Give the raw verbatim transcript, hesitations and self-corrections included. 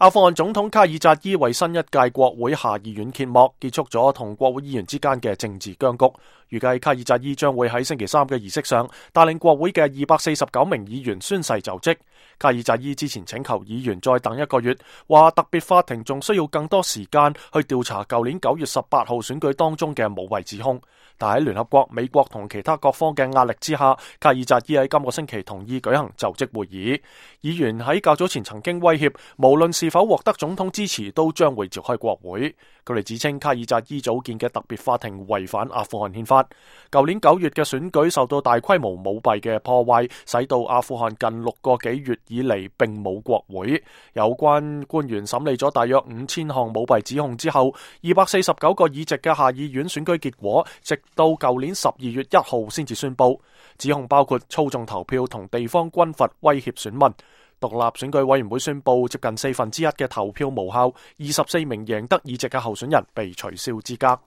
阿富汗總統卡爾扎伊為新一屆國會下議院揭幕，結束咗同國會議員之間嘅政治僵局。預計卡爾扎伊將會喺星期三嘅儀式上帶領國會嘅二百四十九名議員宣誓就職。卡爾扎伊之前請求議員再等一個月，話特別法庭仲需要更多時間去調查舊年九月十八號選舉當中嘅舞弊指控。但喺聯合國、美國同其他各方嘅壓力之下，卡爾扎伊喺今個星期同意舉行就職會議。議員喺較早前曾經威脅，無論是否獲得總統支持，都將會召開國會。佢哋指稱卡爾扎伊組建嘅特別法庭違反阿富汗憲法。舊年九月嘅選舉受到大規模舞弊嘅破壞，使到阿富汗近六個幾月以嚟並冇國會。有關官員審理咗大約五千項舞弊指控之後，二百四十九個議席嘅下議院選舉結果，直到舊年十二月一號先至宣佈。指控包括操縱投票同地方軍閥威脅選民。獨立選舉委員會宣佈，接近四分之一嘅投票無效，二十四名贏得議席嘅候選人被取消資格。